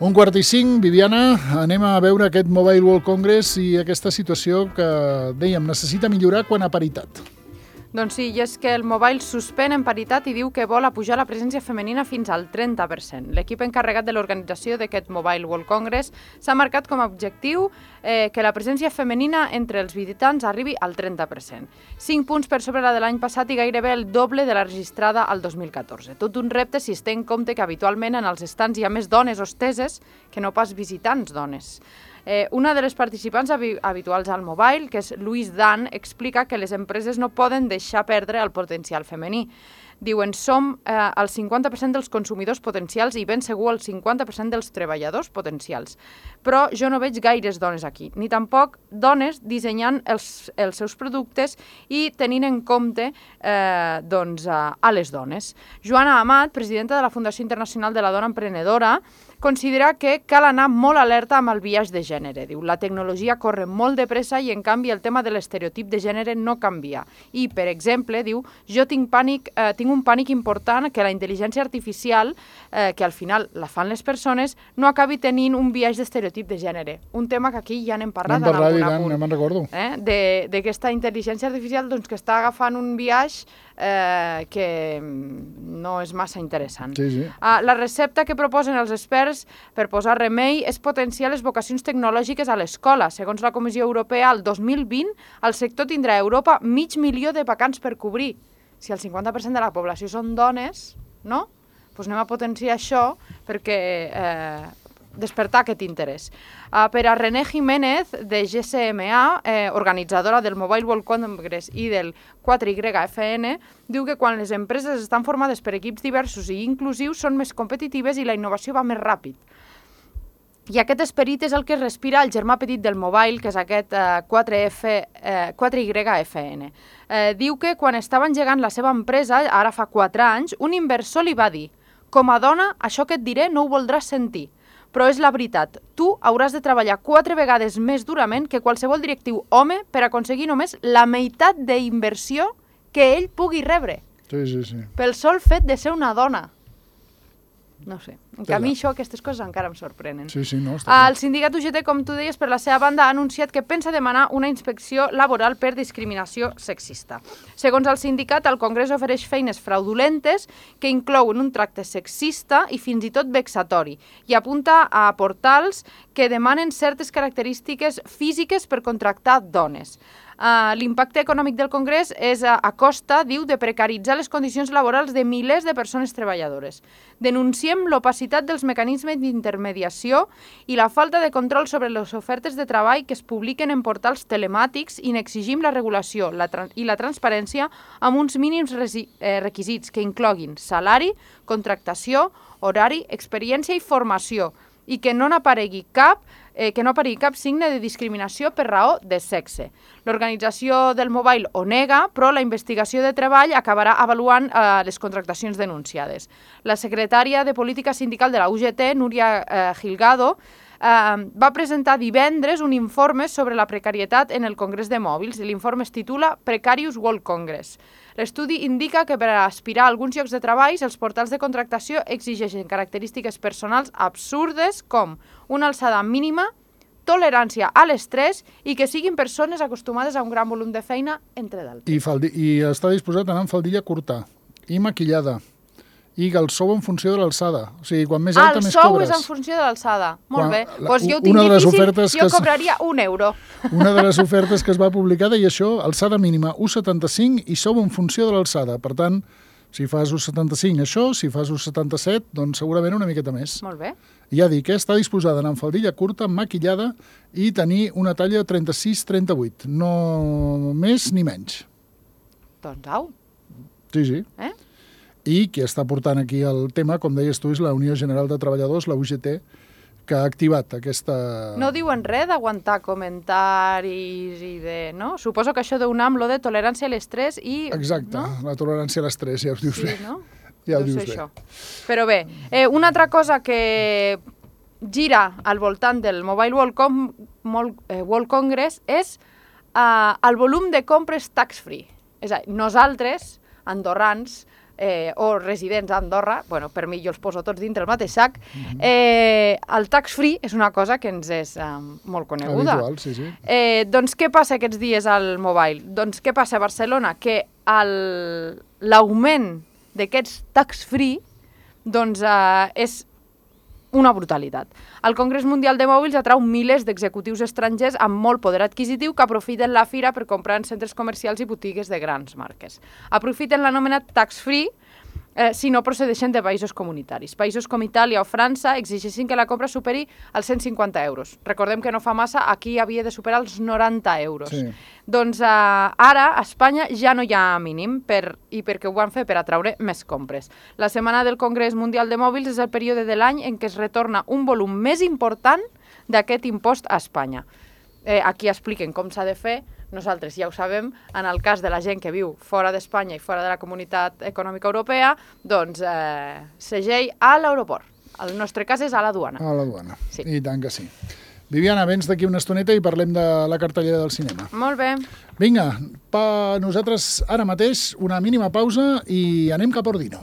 1:45, Viviana, anem a veure aquest Mobile World Congress i aquesta situació que, dèiem, necessita millorar quan a paritat. Doncs sí, i és que el Mobile suspèn en paritat i diu que vol apujar la presència femenina fins al 30%. L'equip encarregat de l'organització d'aquest Mobile World Congress s'ha marcat com a objectiu que la presència femenina entre els visitants arribi al 30%. 5 punts per sobre la de l'any passat i gairebé el doble de la registrada al 2014. Tot un repte si es té en compte que habitualment en els estants hi ha més dones hosteses que no pas visitants dones. Una de les participants habituals al Mobile, que és Louise Dan, explica que les empreses no poden deixar perdre el potencial femení. Diuen, som el 50% dels consumidors potencials i ben segur el 50% dels treballadors potencials. Però jo no veig gaires dones aquí, ni tampoc dones dissenyant els seus productes i tenint en compte a les dones. Joana Amat, presidenta de la Fundació Internacional de la Dona Emprenedora, considera que cal anar molt alerta amb el biaix de gènere. Diu, la tecnologia corre molt de pressa i, en canvi, el tema de l'estereotip de gènere no canvia. I, per exemple, diu, jo tinc un pànic important que la intel·ligència artificial, que al final la fan les persones, no acabi tenint un biaix d'estereotip de gènere. Un tema que aquí ja n'hem parlat en algun apunt. Ja me'n recordo. D'aquesta intel·ligència artificial que està agafant un biaix que no és massa interessant. Sí. La recepta que proposen els experts per posar remei és potenciar les vocacions tecnològiques a l'escola. Segons la Comissió Europea, el 2020 el sector tindrà a Europa 500.000 de vacants per cobrir. Si el 50% de la població són dones, no? Doncs anem a potenciar això perquè despertar aquest interès. Per a René Jiménez, de GSMA, organitzadora del Mobile World Congress i del 4YFN, diu que quan les empreses estan formades per equips diversos i inclusius són més competitives i la innovació va més ràpid. I aquest esperit és el que respira el germà petit del Mobile, que és aquest 4YFN. Diu que quan estava engegant la seva empresa, ara fa 4 anys, un inversor li va dir: com a dona, això que et diré no ho voldràs sentir. Però és la veritat, tu hauràs de treballar 4 vegades més durament que qualsevol directiu home per aconseguir només la meitat d'inversió que ell pugui rebre. Sí. Pel sol fet de ser una dona. No sé, a mi aquestes coses encara em sorprenen. Sí, no, està clar. El sindicat UGT, com tu deies, per la seva banda ha anunciat que pensa demanar una inspecció laboral per discriminació sexista. Segons el sindicat, el Congrés ofereix feines fraudulentes que inclouen un tracte sexista i fins i tot vexatori i apunta a portals que demanen certes característiques físiques per contractar dones. L'impacte econòmic del Congrés és a costa, diu, de precaritzar les condicions laborals de milers de persones treballadores. Denunciem l'opacitat dels mecanismes d'intermediació i la falta de control sobre les ofertes de treball que es publiquen en portals telemàtics i n'exigim la regulació i la transparència amb uns mínims requisits que incloguin salari, contractació, horari, experiència i formació i que no aparegui cap signe de discriminació per raó de sexe. L'organització del Mobile ho nega, però la investigació de treball acabarà avaluant les contractacions denunciades. La secretària de Política Sindical de la UGT, Núria Gilgado, va presentar divendres un informe sobre la precarietat en el Congrés de Mòbils i l'informe es titula Precarious World Congress. L'estudi indica que per aspirar a alguns llocs de treball els portals de contractació exigeixen característiques personals absurdes com una alçada mínima, tolerància a l'estrès i que siguin persones acostumades a un gran volum de feina, entre d'altres. I està disposat a anar amb faldilla curta i maquillada. I el sou en funció de l'alçada. O sigui, quan més alta, més cobres. El sou és en funció de l'alçada. Molt bé. Doncs jo ho tinc difícil, jo cobraria €1. Una de les ofertes que es va publicar deia això, alçada mínima 1,75 i sou en funció de l'alçada. Per tant, si fas 1,75 això, si fas 1,77, doncs segurament una miqueta més. Molt bé. Ja dic, està disposada a anar amb faldilla curta, maquillada i tenir una talla 36-38. No més ni menys. Doncs au. Sí. I qui està portant aquí el tema, com deies tu, és la Unió General de Treballadors, la UGT, que ha activat aquesta... No diuen res d'aguantar comentaris i de... no? Suposo que això d'UNAM, lo de tolerància a l'estrès i... Exacte, no? La tolerància a l'estrès, ja ho dius bé. Sí, no? Ja ho dius bé. Però bé, una altra cosa que gira al voltant del Mobile World Congress és el volum de compres tax-free. És a dir, nosaltres, andorrans, o residents a Andorra, bueno, per mi jo els poso tots dintre el mateix sac, el tax-free és una cosa que ens és molt coneguda. Habitual, sí, sí. Doncs què passa aquests dies al Mobile? Doncs què passa a Barcelona? Que l'augment d'aquests tax-free doncs, és una brutalitat. El Congrés Mundial de Mòbils atrau milers d'executius estrangers amb molt poder adquisitiu que aprofiten la fira per comprar en centres comercials i botigues de grans marques. Aprofiten l'anomenat tax-free si no procedeixen de països comunitaris. Països com Itàlia o França exigeixen que la compra superi els 150 euros. Recordem que no fa massa, aquí havia de superar els 90 euros. Sí. Doncs ara a Espanya ja no hi ha mínim i perquè ho van fer per atraure més compres. La setmana del Congrés Mundial de Mòbils és el període de l'any en què es retorna un volum més important d'aquest impost a Espanya. Aquí expliquen com s'ha de fer. Nosaltres ja ho sabem, en el cas de la gent que viu fora d'Espanya i fora de la Comunitat Econòmica Europea, doncs segell a l'aeroport. El nostre cas és a la duana. A la duana, sí. I tant que sí. Viviana, vens d'aquí una estoneta i parlem de la cartellera del cinema. Molt bé. Vinga, nosaltres ara mateix una mínima pausa i anem cap a Ordino.